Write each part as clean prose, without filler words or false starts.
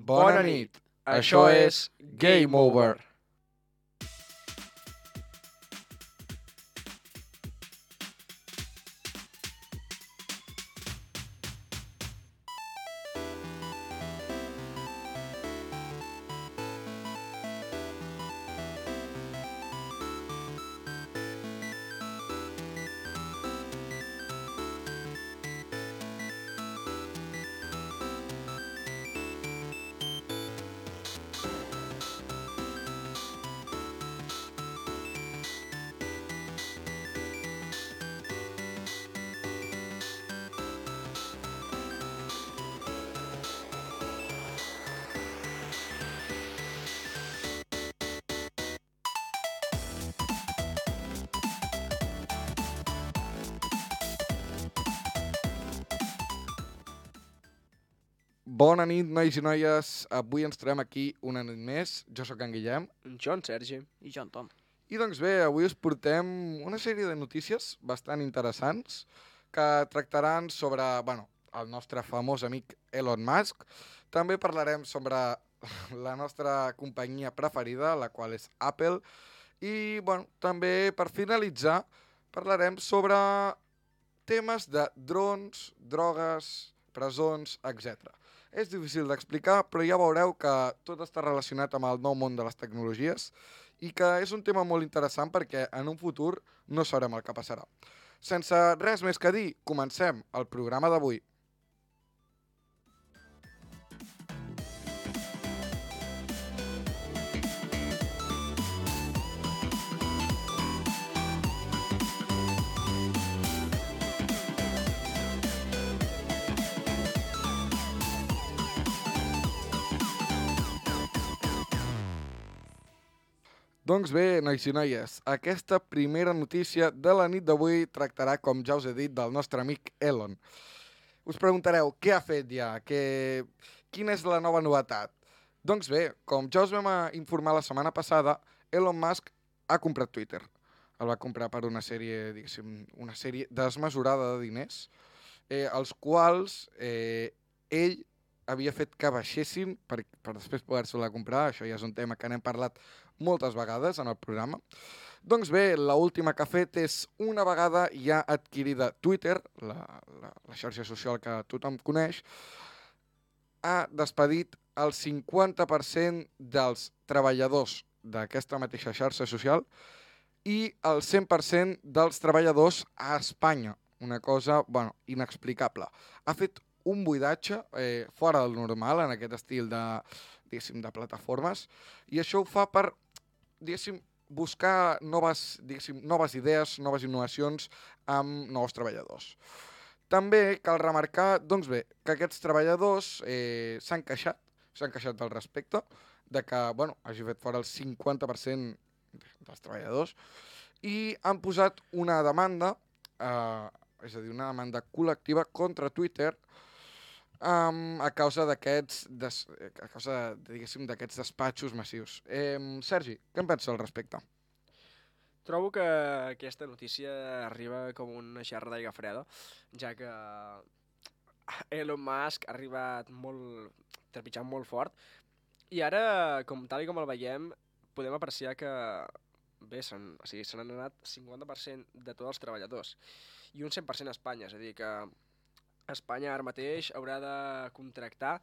Bona nit. Això és Game Over. Bona nit, nois i noies. Avui ens trobem aquí una nit més. Jo sóc en Guillem. Jo, en Sergi. I jo, en Tom. I doncs bé, avui us portem una sèrie de notícies bastant interessants que tractaran sobre, el nostre famós amic Elon Musk. També parlarem sobre la nostra companyia preferida, la qual és Apple. I, també per finalitzar parlarem sobre temes de drons, drogues, presons, etc. És difícil d'explicar, però ja veureu que tot està relacionat amb el nou món de les tecnologies i que és un tema molt interessant perquè en un futur no sabrem el que passarà. Sense res més que dir, comencem el programa d'avui. Doncs bé, nois i noies, aquesta primera notícia de la nit d'avui tractarà, com ja us he dit, del nostre amic Elon. Us preguntareu, què ha fet ja? Quina és la nova novetat? Doncs bé, com ja us vam informar la setmana passada, Elon Musk ha comprat Twitter. El va comprar per una sèrie, una sèrie desmesurada de diners, els quals ell havia fet que baixessin per després poder-se-la comprar. Això ja és un tema que n'hem parlat moltes vegades en el programa. Doncs bé, l'última que ha fet és una vegada ja adquirida Twitter, la xarxa social que tothom coneix, ha despedit el 50% dels treballadors d'aquesta mateixa xarxa social i el 100% dels treballadors a Espanya. Una cosa, inexplicable. Ha fet un buidatge fora del normal en aquest estil de plataformes i això ho fa per buscar noves idees, noves innovacions amb nous treballadors. També cal remarcar, que aquests treballadors s'han queixat al respecte de que hagi fet fora el 50% dels treballadors i han posat una demanda, és a dir, una demanda col·lectiva contra Twitter a causa d'aquests despatxos massius. Sergi, què en penses al respecte? Trobo que aquesta notícia arriba com una gerra d'aigua freda, ja que Elon Musk ha arribat trepitjant molt fort i ara, tal com el veiem, podem apreciar que se n'han anat 50% de tots els treballadors i un 100% a Espanya, és a dir que Espanya ara mateix haurà de contractar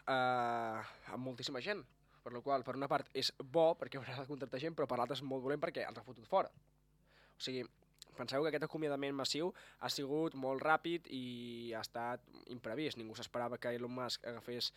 amb moltíssima gent, per la qual per una part és bo perquè haurà de contractar gent, però per l'altra és molt dolent perquè els ha fotut fora. O sigui, penseu que aquest acomiadament massiu ha sigut molt ràpid i ha estat imprevist. Ningú s'esperava que Elon Musk agafés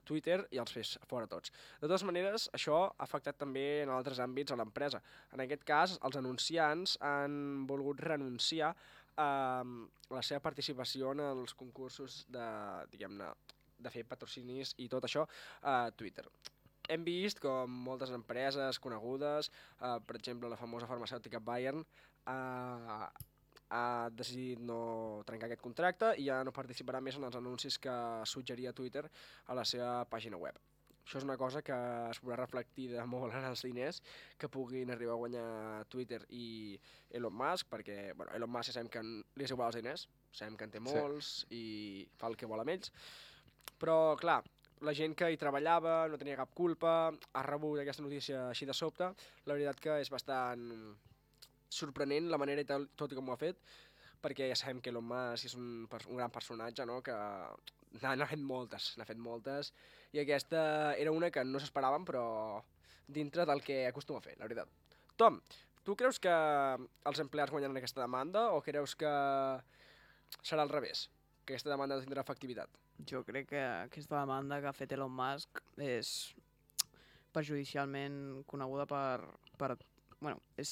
Twitter i els fes fora tots. De totes maneres, això ha afectat també en altres àmbits a l'empresa. En aquest cas, els anunciants han volgut renunciar la seva participació en els concursos de fer patrocinis i tot això a Twitter. Hem vist com moltes empreses conegudes, per exemple la famosa farmacèutica Bayern, ha decidit no trencar aquest contracte i ja no participarà més en els anuncis que suggeria Twitter a la seva pàgina web. Això és una cosa que es veurà reflectida molt en els diners que puguin arribar a guanyar Twitter i Elon Musk, perquè Elon Musk sabem que li és igual els diners, sabem que en té molts i fa el que vol amb ells, però clar, la gent que hi treballava no tenia cap culpa, ha rebut aquesta notícia així de sobte. La veritat que és bastant sorprenent la manera i tot i com ho ha fet, perquè ja sabem que Elon Musk és un gran personatge, no? Que n'ha fet moltes, i aquesta era una que no s'esperaven, però dintre del que acostuma a fer, la veritat. Tom, tu creus que els empleats guanyaran aquesta demanda o creus que serà al revés, que aquesta demanda no tindrà efectivitat? Jo crec que aquesta demanda que ha fet Elon Musk és perjudicialment coneguda és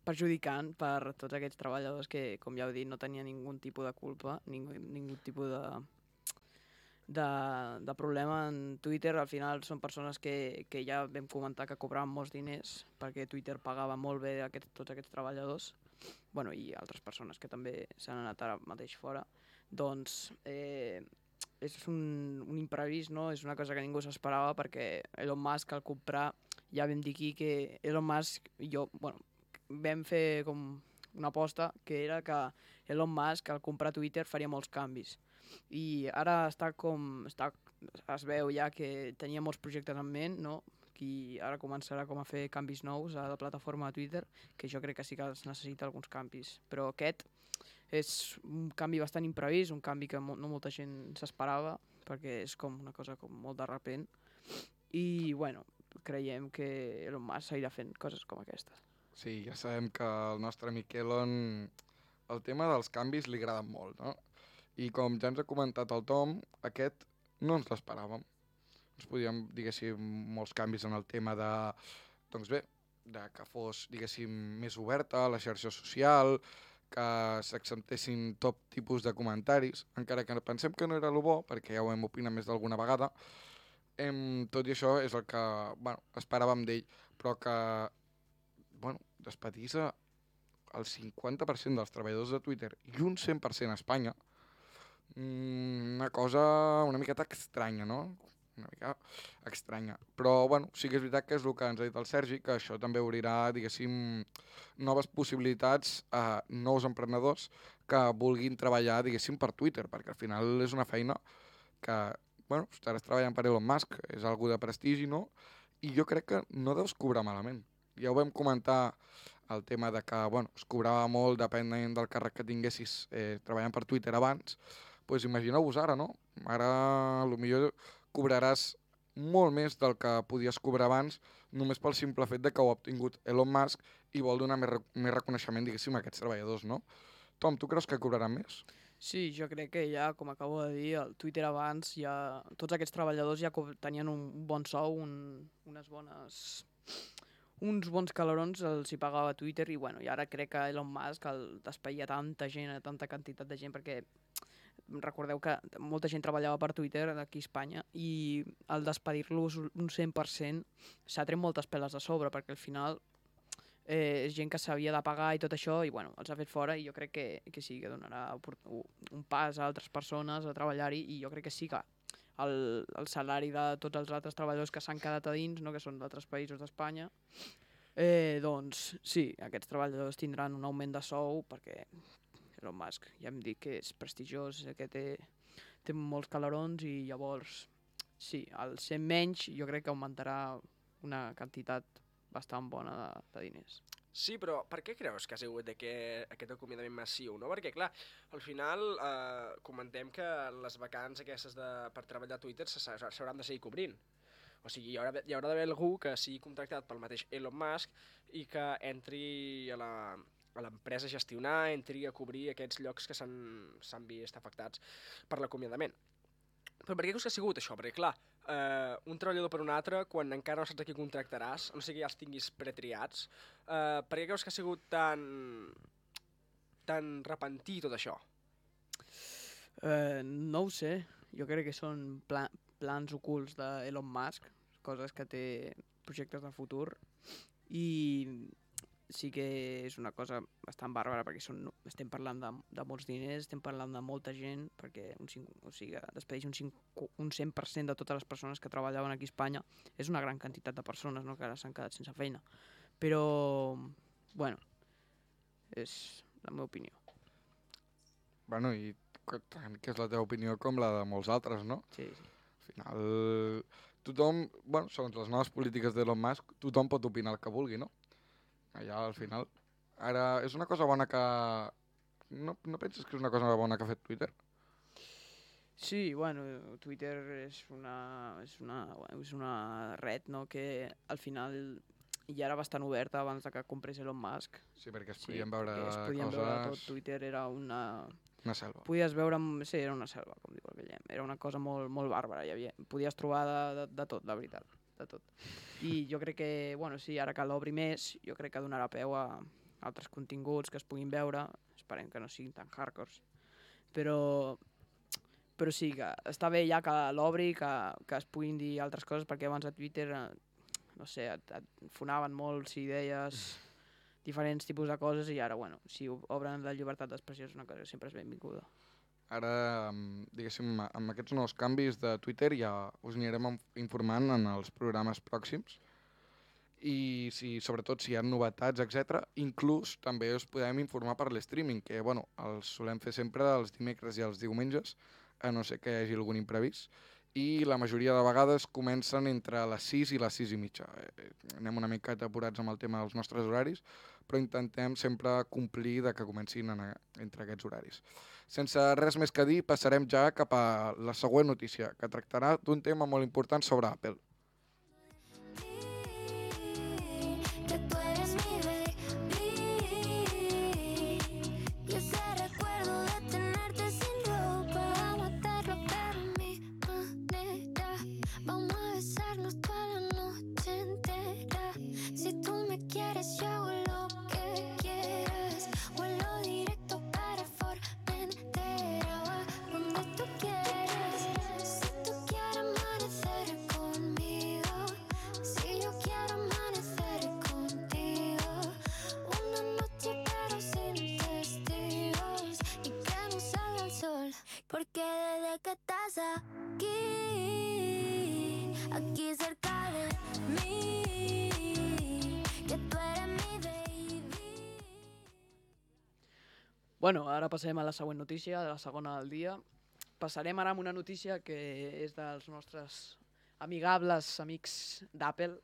perjudicant per tots aquests treballadors que, com ja heu dit, no tenien ningú tipus de culpa, ningú tipus de problema en Twitter. Al final són persones que ja vam comentar que cobraven molts diners perquè Twitter pagava molt bé tots aquests treballadors, bueno, i altres persones que també s'han anat ara mateix fora. Doncs és un imprevist, no? És una cosa que ningú s'esperava, perquè Elon Musk al comprar, ja vam dir aquí que Elon Musk i jo, bueno, vam fer com una aposta, que era que Elon Musk al comprar Twitter faria molts canvis. I ara es veu ja que tenia molts projectes en ment, no? I ara començarà com a fer canvis nous a la plataforma de Twitter, que jo crec que sí que es necessita alguns canvis. Però aquest és un canvi bastant imprevist, un canvi que no molta gent s'esperava, perquè és com una cosa com molt de repent. I, bueno, creiem que Elon Musk seguirà fent coses com aquestes. Sí, ja sabem que al nostre amic Elon el tema dels canvis li agrada molt, no? I com ja ens ha comentat el Tom, aquest no ens l'esperàvem. Ens podíem, diguéssim, molts canvis en el tema de, doncs bé, de que fos, diguéssim, més oberta la xarxa social, que s'acceptessin tot tipus de comentaris, encara que pensem que no era el bo, perquè ja ho hem opinat més d'alguna vegada. Tot i això és el que, bueno, esperàvem d'ell, però que, bueno, despedís el 50% dels treballadors de Twitter i un 100% a Espanya, una cosa una miqueta estranya, no? Una mica estranya. Però, bueno, sí que és veritat que és el que ens ha dit el Sergi, que això també obrirà, diguéssim, noves possibilitats a nous emprenedors que vulguin treballar, diguéssim, per Twitter, perquè al final és una feina que, bueno, estaràs treballant per Elon Musk, és algú de prestigi, no? I jo crec que no deus cobrar malament. Ja ho vam comentar el tema de que, bueno, es cobrava molt depenent del càrrec que tinguessis treballant per Twitter abans. Doncs imagineu-vos ara, no? Ara, potser cobraràs molt més del que podies cobrar abans, només pel simple fet de que ho ha obtingut Elon Musk i vol donar més reconeixement, diguéssim, a aquests treballadors, no? Tom, tu creus que cobraran més? Sí, jo crec que ja, com acabo de dir, el Twitter abans, ja tots aquests treballadors ja tenien un bon sou, uns bons calarons els hi pagava Twitter, i bueno, i ara crec que Elon Musk el despedia tanta gent, tanta quantitat de gent, perquè recordeu que molta gent treballava per Twitter aquí a Espanya, i al despedir-los un 100% s'ha tret moltes peles de sobre, perquè al final és gent que s'havia de pagar i tot això, i bueno, els ha fet fora, i jo crec que sí, que donarà un pas a altres persones a treballar-hi, i jo crec que sí que el salari de tots els altres treballadors que s'han quedat a dins, no, que són d'altres països d'Espanya, doncs sí, aquests treballadors tindran un augment de sou, perquè Elon Musk ja hem dit que és prestigiós, que té molts calarons, i llavors sí, al ser menys jo crec que augmentarà una quantitat bastant bona de diners. Sí, però per què creus que ha sigut aquest acomiadament massiu, no? Perquè, clar, al final comentem que les vacants aquestes per treballar a Twitter s'hauran de seguir cobrint. O sigui, hi haurà d'haver algú que sigui contractat pel mateix Elon Musk i que entri a l'empresa a gestionar, entri a cobrir aquests llocs que s'han vist afectats per l'acomiadament. Però per què creus que ha sigut això? Perquè, clar, un treballador per un altre, quan encara no saps a qui contractaràs, a no sé que ja els tinguis pretriats, per què creus que ha sigut tan repentí tot això? No ho sé, jo crec que són plans ocults d'Elon Musk, coses que té, projectes de futur, i sí que és una cosa bastant bàrbara, perquè estem parlant de molts diners, estem parlant de molta gent, perquè despedeix un 100% de totes les persones que treballaven aquí a Espanya. És una gran quantitat de persones, no?, que ara s'han quedat sense feina. Però, bueno, és la meva opinió. Bueno, i tant que és la teva opinió com la de molts altres, no? Sí, sí. Al final, tothom, bueno, segons les noves polítiques d'Elon Musk, tothom pot opinar el que vulgui, no? Allà, al final. Ara, és una cosa bona que... No penses que és una cosa bona que ha fet Twitter? Sí, bueno, Twitter és una red, no?, que al final ja era bastant oberta abans de que comprés Elon Musk. Sí, perquè es podien veure perquè es podien veure tot. coses... Twitter era una... Una selva. Podies veure... Sí, era una selva, com diu el Guillem. Era una cosa molt, molt bàrbara. Podies trobar de tot, la veritat. De tot. I jo crec que, bueno, sí, ara que l'obri més, jo crec que donarà peu a altres continguts que es puguin veure. Esperem que no siguin tan hardcores. Però sí, que està bé ja que l'obri, que es puguin dir altres coses, perquè abans a Twitter, no sé, et fonaven molt si deies diferents tipus de coses, i ara, bueno, si obren la llibertat d'expressió és una cosa que sempre és benvinguda. Ara, diguéssim, amb aquests nous canvis de Twitter ja us anirem informant en els programes pròxims i sobretot si hi ha novetats, etc. Inclús també us podem informar per l'streaming, que bueno, els solem fer sempre els dimecres i els diumenges, a no ser que hi hagi algun imprevist, i la majoria de vegades comencen entre les 6 i les 6 i mitja. Anem una mica apurats amb el tema dels nostres horaris, però intentem sempre complir de que comencin entre aquests horaris. Sense res més que dir, passarem ja cap a la següent notícia, que tractarà d'un tema molt important sobre Apple. Porque desde que estás aquí cerca de mí, que tú eres mi baby. Bueno, ara passem a la següent notícia, de la segona del dia. Passarem ara amb una notícia que és dels nostres amigables amics d'Apple,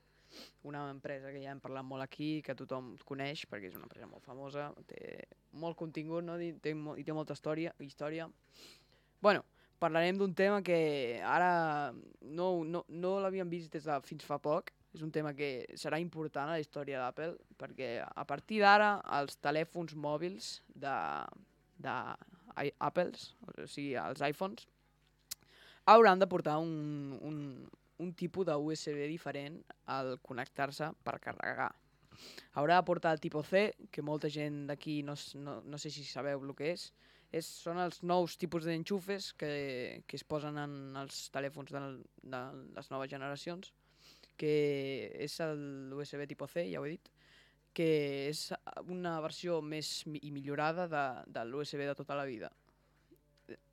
una empresa que ja hem parlat molt aquí, que tothom coneix, perquè és una empresa molt famosa, té molt contingut, no? I té molta història. Bueno, parlarem d'un tema que ara no l'havíem vist des de fins fa poc. És un tema que serà important a la història d'Apple, perquè a partir d'ara els telèfons mòbils d'Apple, o sigui, els iPhones, hauran de portar un tipus de USB diferent al connectar-se per carregar. Haurà de portar el tipus C, que molta gent d'aquí no sé si sabeu el que és. Són els nous tipus d'enxufes que es posen en els telèfons de les noves generacions, que és l'USB tipus C, ja ho he dit, que és una versió més i millorada de l'USB de tota la vida.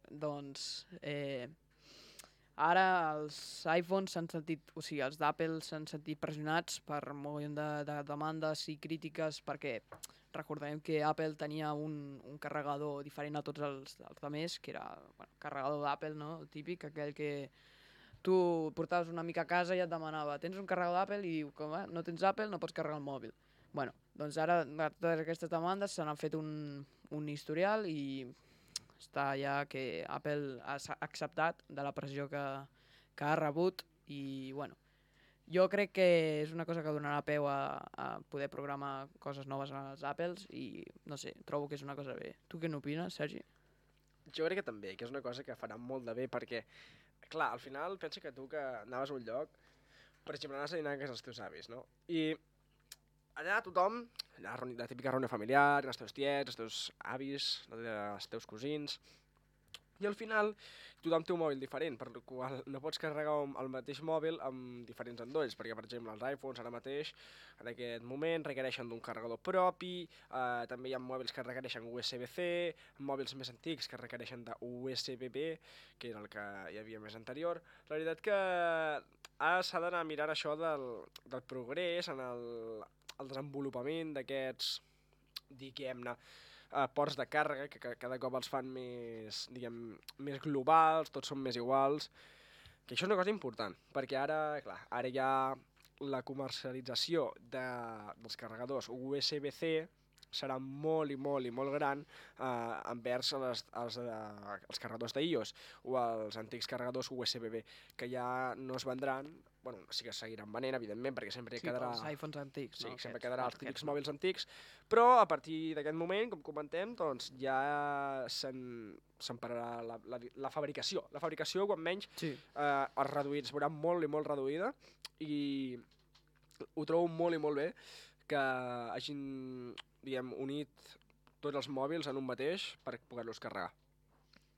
Doncs ara els iPhones s'han sentit, o sigui, els d'Apple s'han sentit pressionats per un mogollon de demandes i crítiques, perquè recordem que Apple tenia un carregador diferent a tots els altres, que era carregador d'Apple, no? El típic, aquell que tu portaves una mica a casa i et demanava tens un carregador d'Apple? I diu, com no tens Apple no pots carregar el mòbil. Bueno, doncs ara totes aquestes demandes se n'han fet un historial i està ja que Apple ha acceptat de la pressió que ha rebut i, bueno, jo crec que és una cosa que donarà peu a poder programar coses noves als Apples i, no sé, trobo que és una cosa bé. Tu què n'opines, Sergi? Jo crec que també, que és una cosa que farà molt de bé, perquè, clar, al final pensa que tu que anaves a un lloc, per exemple, anaves a dinar a casa dels teus avis, no? I allà tothom, la típica reunió familiar, els teus tiets, els teus avis, els teus cosins, i al final tothom té un mòbil diferent, per la qual no pots carregar el mateix mòbil amb diferents endolls, perquè, per exemple, els iPhones ara mateix, en aquest moment, requereixen d'un carregador propi, també hi ha mòbils que requereixen USB-C, mòbils més antics que requereixen d'USB-B, que era el que hi havia més anterior. La veritat que ara s'ha d'anar a mirar això del progrés en el desenvolupament d'aquests, diguem-ne, ports de càrrega, que cada cop els fan més globals, tots són més iguals, que això és una cosa important, perquè ara, clar, ara hi ha la comercialització dels carregadors USB-C serà molt i molt i molt gran envers els carregadors d'iOS o els antics carregadors USB-B, que ja no es vendran, bueno, sí que seguiran venent, evidentment, perquè sempre Sí, quedarà... pels iPhones antics, Sí, no? sempre Aquests, quedarà els aquests típics no. mòbils antics, però a partir d'aquest moment, com comentem, doncs ja se'n pararà la fabricació. La fabricació, quan menys, Sí. es reduït, es veurà molt i molt reduïda, i ho trobo molt i molt bé que hagin, diguem, unit tots els mòbils en un mateix per poder-los carregar.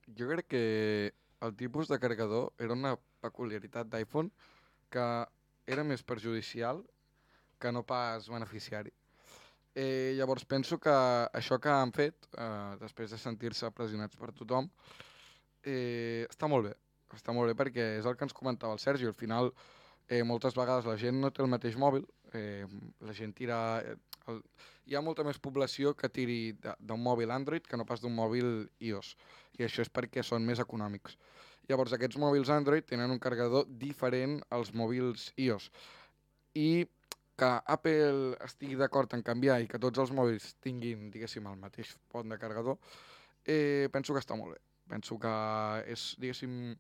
Jo crec que el tipus de carregador era una peculiaritat d'iPhone que era més perjudicial que no pas beneficiari. Llavors penso que això que han fet, després de sentir-se pressionats per tothom, està molt bé. Està molt bé perquè és el que ens comentava el Sergi. Al final, moltes vegades la gent no té el mateix mòbil, la gent tira... Hi ha molta més població que tiri d'un mòbil Android que no pas d'un mòbil iOS, i això és perquè són més econòmics. Llavors, aquests mòbils Android tenen un carregador diferent als mòbils iOS, i que Apple estigui d'acord en canviar i que tots els mòbils tinguin, diguéssim, el mateix pont de carregador, penso que està molt bé. Penso que és, diguéssim,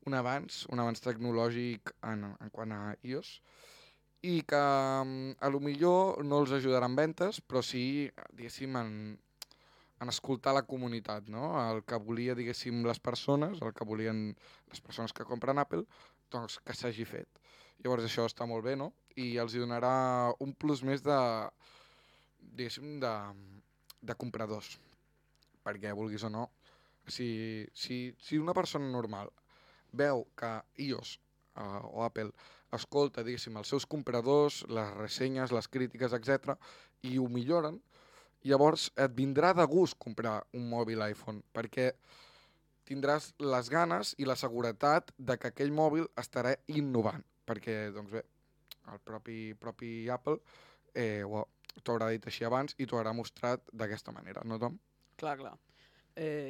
un avanç tecnològic en quant a iOS, i que a lo millor no els ajudarà en ventes, però sí, diguéssim, en escoltar la comunitat, no? El que volia, diguéssim, les persones, el que volien les persones que compren Apple, doncs que s'hagi fet. Llavors això està molt bé, no? I els hi donarà un plus més de, diguéssim, de compradors. Perquè, vulguis o no, si una persona normal veu que iOS o Apple escolta, diguéssim, els seus compradors, les ressenyes, les crítiques, etc, i ho milloren, llavors et vindrà de gust comprar un mòbil iPhone, perquè tindràs les ganes i la seguretat de que aquell mòbil estarà innovant, perquè, doncs bé, el propi Apple t'ho haurà dit així abans i t'ho haurà mostrat d'aquesta manera, no, Tom? Clar.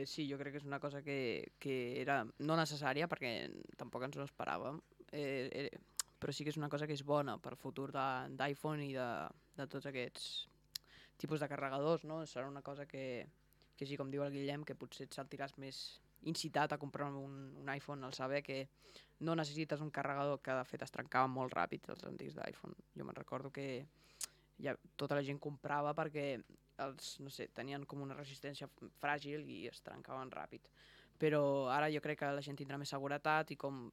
Sí, jo crec que és una cosa que era no necessària perquè tampoc ens ho esperàvem, però sí que és una cosa que és bona per futur d'iPhone i de tots aquests tipus de carregadors, no? Serà una cosa que sí, com diu el Guillem, que potser et sentiràs més incitat a comprar un iPhone al saber que no necessites un carregador que de fet es trencava molt ràpid els antics d'iPhone. Jo me'n recordo que tota la gent comprava perquè no sé, tenien com una resistència fràgil i es trencaven ràpid. Però ara jo crec que la gent tindrà més seguretat i com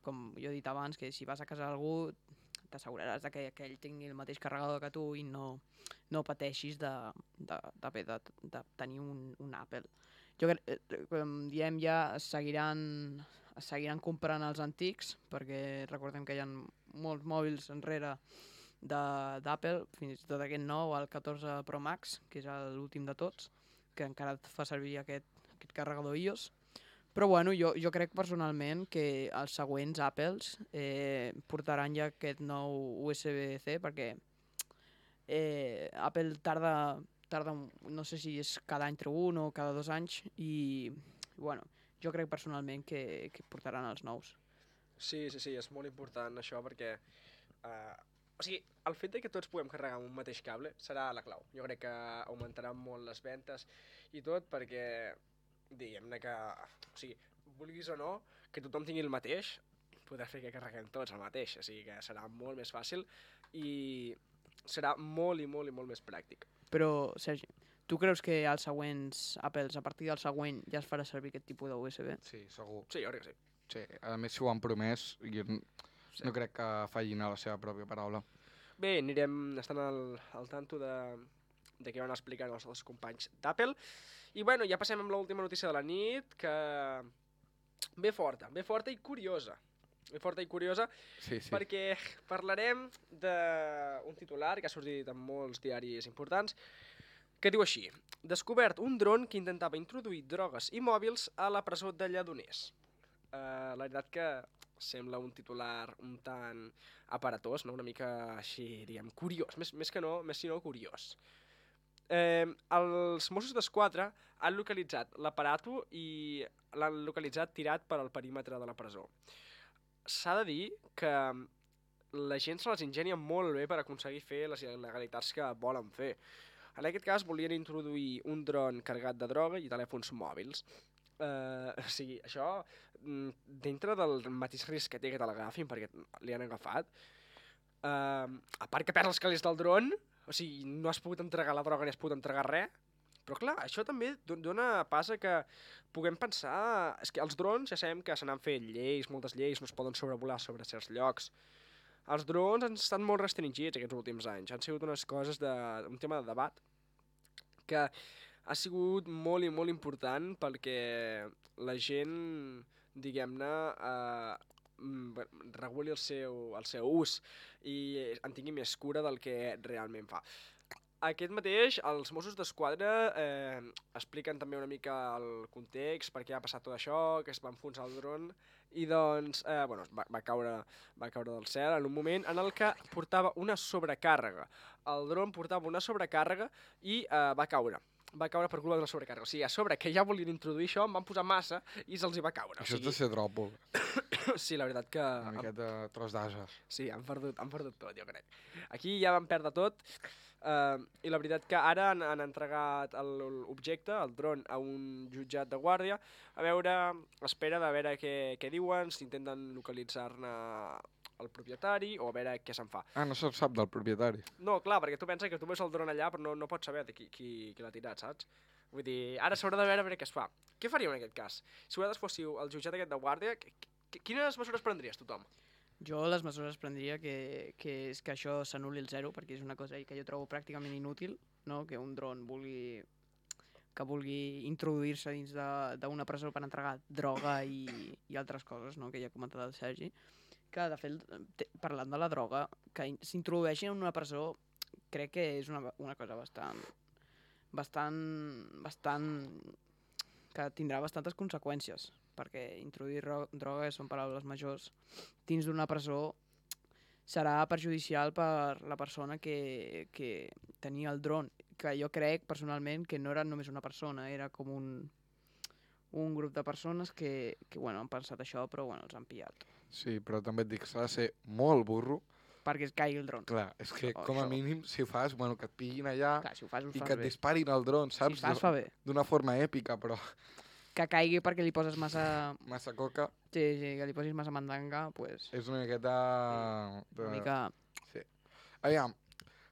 jo he dit abans, que si vas a casa d'algú t'asseguraràs que aquell tingui el mateix carregador que tu i no pateixis de tenir un Apple. Jo crec, com diem, ja es seguiran comprant els antics, perquè recordem que hi ha molts mòbils enrere d'Apple, fins i tot aquest nou, el 14 Pro Max, que és l'últim de tots, que encara et fa servir aquest carregador iOS. Però bueno, jo crec personalment que els següents Apples portaran ja aquest nou USB-C, perquè Apple tarda, no sé si és cada any treu un o cada 2 anys, i bueno, jo crec personalment que portaran els nous. Sí, és molt important això perquè... o sigui, el fet de que tots puguem carregar amb un mateix cable serà la clau. Jo crec que augmentarà molt les ventes i tot perquè, diguem-ne que, o sigui, vulguis o no, que tothom tingui el mateix, podrà fer que carreguem tots el mateix, o sigui que serà molt més fàcil i serà molt i molt i molt més pràctic. Però, Sergi, tu creus que als següents Apples, a partir del següent, ja es farà servir aquest tipus de USB? Sí, segur. Sí, jo crec que sí. Sí, a més, si ho han promès, jo no crec que fallin a la seva pròpia paraula. Bé, anirem estant al tanto de què van explicant els companys d'Apple. I bueno, ja passem amb l'última notícia de la nit, que ve forta i curiosa. Sí. Perquè parlarem d'un titular que ha sortit en molts diaris importants, que diu així: descobert un dron que intentava introduir drogues i mòbils a la presó de Lledoners. La veritat que sembla un titular un tant aparatós, no? Una mica així, diguem, curiós, més si no curiós. Els Mossos d'Esquadra han localitzat l'aparato i l'han localitzat tirat per al perímetre de la presó. s'ha de dir que la gent se les ingenia molt bé per aconseguir fer les il·legalitats que volen fer. En aquest cas volien introduir un dron carregat de droga i telèfons mòbils. O sigui, això, dintre del mateix risc que té que te l'agafin, perquè li han agafat, a part que perds els calés del dron, o sigui, no has pogut entregar la droga ni has pogut entregar res, però clar, això també dona pas a que puguem pensar... És que els drons ja sabem que se n'han fet lleis, moltes lleis, no es poden sobrevolar sobre certs llocs. Els drons han estat molt restringits aquests últims anys, han sigut unes coses un tema de debat que ha sigut molt i molt important perquè la gent, diguem-ne, reguli el seu ús i en tingui més cura del que realment fa. Aquest mateix, els Mossos d'Esquadra expliquen també una mica el context, per què ha passat tot això, que es va enfonsar el dron, i doncs va caure del cel en un moment en el que portava una sobrecàrrega. El dron portava una sobrecàrrega i va caure. Va caure per culpa d'una sobrecàrrega. O sigui, a sobre que ja volien introduir això, en van posar massa i se'ls hi va caure. Això és de ser dròpol. Sí, la veritat que... Una miqueta de tros d'ases. Sí, han perdut tot, jo crec. Aquí ja van perdre tot i la veritat que ara han entregat l'objecte, el dron, a un jutjat de guàrdia espera de veure què diuen, si intenten localitzar-ne el propietari o a veure què se'n fa. Ah, no se'n sap del propietari. No, clar, perquè tu penses que tu veus el dron allà però no pots saber qui l'ha tirat, saps? Vull dir, ara s'haurà de veure què es fa. Què faríeu en aquest cas? Si vosaltres fóssiu el jutjat aquest de guàrdia, quines mesures prendries tothom? Jo les mesures prendria que és que això s'anul·li el zero, perquè és una cosa que jo trobo pràcticament inútil, no? Que un dron vulgui introduir-se dins d'una presó per entregar droga i altres coses, no? Que ja ha comentat el Sergi, que de fet, parlant de la droga, que s'introdueixi en una presó crec que és una cosa bastant que tindrà bastantes conseqüències, perquè introduir droga, són paraules majors, dins d'una presó serà perjudicial per la persona que tenia el dron, que jo crec personalment que no era només una persona, era com un grup de persones que han pensat això, però els han pillat. Sí, però també et dic, s'ha de ser molt burro. Perquè es caigui el dron. Clar, és que com a mínim, si ho fas, que et pillin allà clar, si ho fas, i que et disparin el dron, saps? Si ho fas, fa bé. D'una forma èpica, però... Que caigui perquè li poses massa... Massa coca. Sí, que li posis massa mandanga, doncs... És una miqueta... Una mica... Sí. Aviam,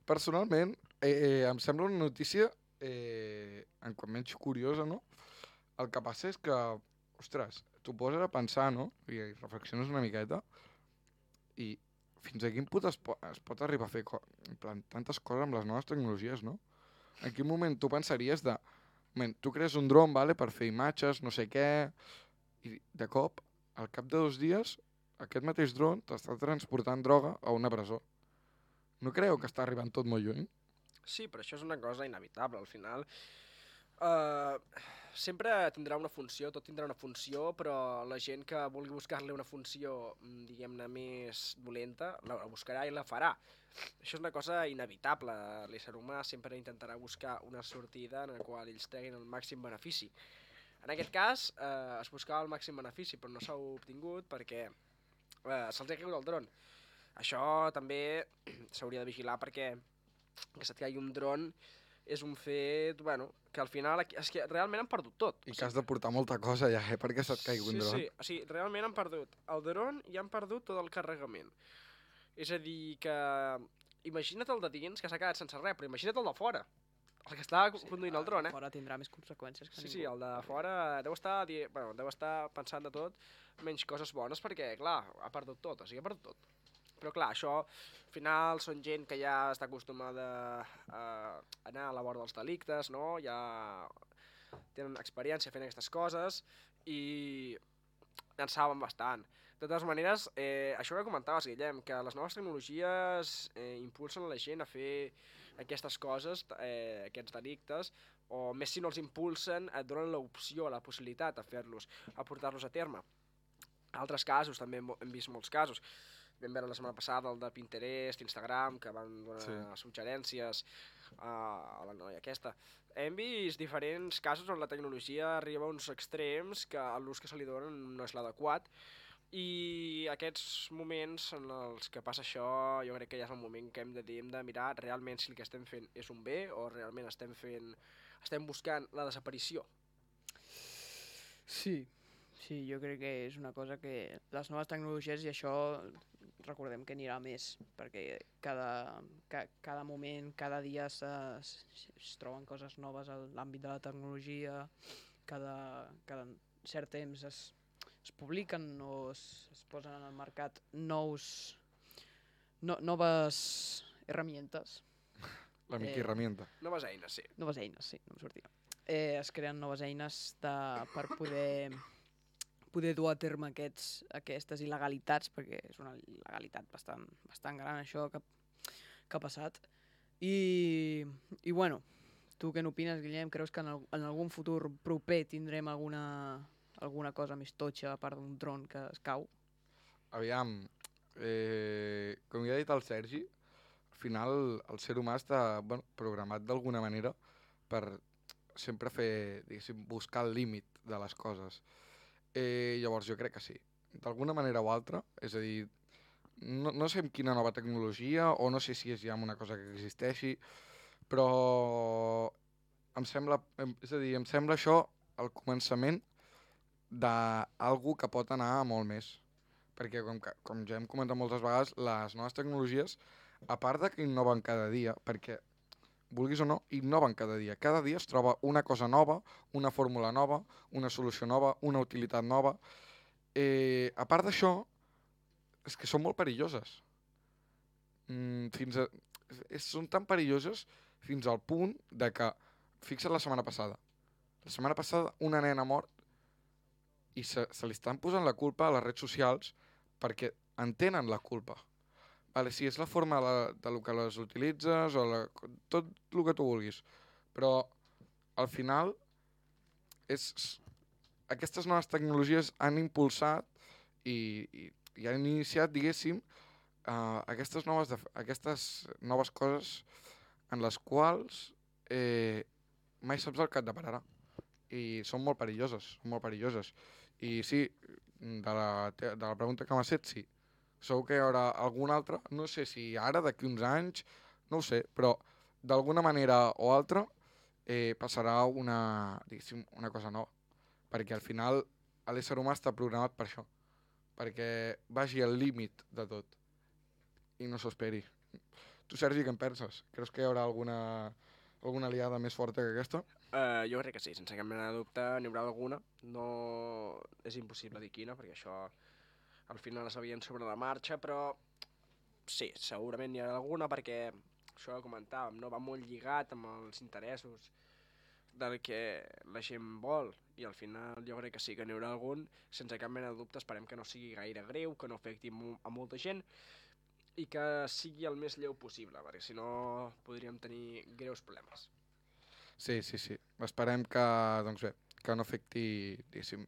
personalment, em sembla una notícia en quant menys curiosa, no? El que passa és que, ostres, t'ho poses a pensar, no? I reflexiones una miqueta i fins a quin punt es pot arribar a fer en plan, tantes coses amb les noves tecnologies, no? En quin moment tu pensaries de... Tu crees un dron, vale, per fer imatges, no sé què, i de cop, al cap de 2 dies, aquest mateix dron t'està transportant droga a una presó. No creieu que està arribant tot molt lluny? Sí, però això és una cosa inevitable, al final. Sempre tindrà una funció, tot tindrà una funció, però la gent que vulgui buscar-li una funció, diguem-ne, més dolenta, la buscarà i la farà. Això és una cosa inevitable. L'ésser humà sempre intentarà buscar una sortida en la qual ells treguin el màxim benefici. En aquest cas, es buscava el màxim benefici, però no s'ha obtingut perquè se'ls ha caigut el dron. Això també s'hauria de vigilar perquè que se't caigui un dron és un fet, que al final és que realment han perdut tot. I que has de portar molta cosa ja, perquè se't caigui un dron. Sí, o sigui, realment han perdut el dron i han perdut tot el carregament. És a dir, que imagina't el de dins, que s'ha quedat sense res, però imagina't el de fora, el que està conduint el dron, el de fora tindrà més conseqüències que ningú. Sí, el de fora deu estar pensant de tot, menys coses bones, perquè, clar, ha perdut tot, o sigui, ha perdut tot. Però clar, això, al final, són gent que ja està acostumada a anar a la vora dels delictes, no? Ja tenen experiència fent aquestes coses i en saben bastant. De totes maneres, això que comentaves, Guillem, que les noves tecnologies impulsen la gent a fer aquestes coses, aquests delictes, o més si no els impulsen, et donen l'opció, la possibilitat de fer-los, a portar-los a terme. Altres casos, també hem vist molts casos. Vam veure la setmana passada el de Pinterest, Instagram, que van donar suggerències a la noia aquesta. Hem vist diferents casos on la tecnologia arriba a uns extrems que l'ús que se li donen no és l'adequat I aquests moments en els que passa això, jo crec que ja és el moment que hem de mirar realment si el que estem fent és un bé o realment estem buscant la desaparició. Sí, jo crec que és una cosa que les noves tecnologies, i això recordem que anirà més, perquè cada moment, cada dia es troben coses noves a l'àmbit de la tecnologia, cada cert temps es publiquen o es posen en el mercat noves herramientes. L'amic herramienta. Noves eines, sí. Noves eines, sí, no em sortia. Es creen noves eines per poder dur a terme aquestes il·legalitats, perquè és una il·legalitat bastant gran això que ha passat. I bueno, tu què n'opines, Guillem? Creus que en algun futur proper tindrem alguna cosa més totxa a part d'un dron que es cau? Aviam, com ja ha dit el Sergi, al final el ser humà està programat d'alguna manera per sempre buscar el límit de les coses. Llavors jo crec que sí, d'alguna manera o altra, és a dir, no sé amb quina nova tecnologia o no sé si és ja una cosa que existeixi, però em sembla això el començament d'algú que pot anar a molt més. Perquè, com ja hem comentat moltes vegades, les noves tecnologies, a part de que innoven cada dia, perquè, vulguis o no, innoven cada dia. Cada dia es troba una cosa nova, una fórmula nova, una solució nova, una utilitat nova. A part d'això, és que són molt perilloses. Són tan perilloses fins al punt de que, fixa't la setmana passada, una nena mort i se li estan posant la culpa a les redes socials perquè en tenen la culpa. Vale, sí, és la forma de lo que les utilitzes o tot el que tu vulguis, però al final aquestes noves tecnologies han impulsat i han iniciat, diguéssim, aquestes noves coses en les quals mai saps el que et depararà. I són molt perilloses. I sí, de la pregunta que m'has fet, sí. Segur que hi haurà alguna altra, no sé si ara, d'aquí uns anys, no ho sé, però d'alguna manera o altra passarà una cosa nova. Perquè al final l'ésser humà està programat per això, perquè vagi al límit de tot i no s'esperi. Tu, Sergi, què en penses? Creus que hi haurà alguna aliada més forta que aquesta? Jo crec que sí, sense cap mena de dubte n'hi haurà alguna. No és impossible dir quina, perquè això al final es sabien sobre la marxa, però sí, segurament n'hi haurà alguna perquè això que comentàvem, no? Va molt lligat amb els interessos del que la gent vol, i al final jo crec que sí que n'hi haurà algun, sense cap mena de dubte. Esperem que no sigui gaire greu, que no afecti a molta gent i que sigui el més lleu possible, perquè si no podríem tenir greus problemes. Sí. Esperem que, doncs bé, que no afecti, diguéssim,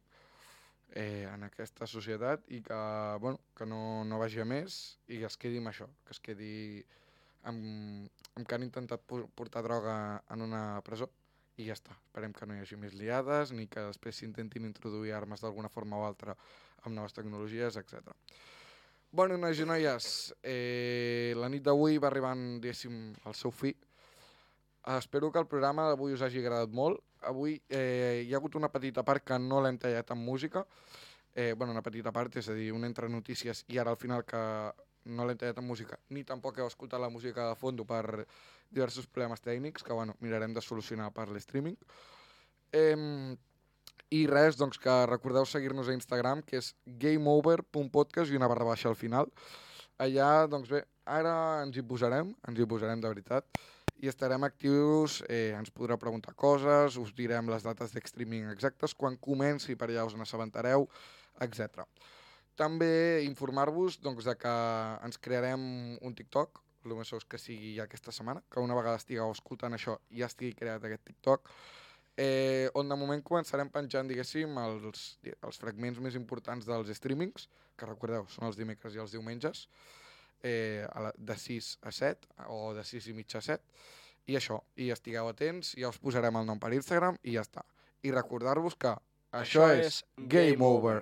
en aquesta societat i que, que no vagi a més i que es quedi amb això, que es quedi amb que han intentat portar droga en una presó i ja està. Esperem que no hi hagi més liades ni que després s'intentin introduir armes d'alguna forma o altra amb noves tecnologies, etc. Bueno, nois i noies, la nit d'avui va arribant, diguéssim, al seu fi. Espero que el programa d'avui us hagi agradat molt. Avui hi ha hagut una petita part que no l'hem tallat amb música. Una petita part, és a dir, un entre notícies i ara al final que no l'hem tallat amb música, ni tampoc heu escoltat la música de fons per diversos problemes tècnics que mirarem de solucionar per l'streaming. I res, doncs que recordeu seguir-nos a Instagram, que és gameover.podcast i una _ al final. Allà, doncs bé, ara ens hi posarem de veritat, i estarem actius, ens podreu preguntar coses, us direm les dates d'streaming exactes, quan comenci per allà us n'assabentareu, etc. També informar-vos doncs, de que ens crearem un TikTok, el més segur que sigui ja aquesta setmana, que una vegada estigueu escoltant això ja estigui creat aquest TikTok, on de moment començarem penjant, diguéssim, els fragments més importants dels streamings, que recordeu, són els dimecres i els diumenges, de 6 a 7 o de 6 i mitja a 7, i això, i estigueu atents, ja us posarem el nom per Instagram i ja està. I recordar-vos que això és Game Over.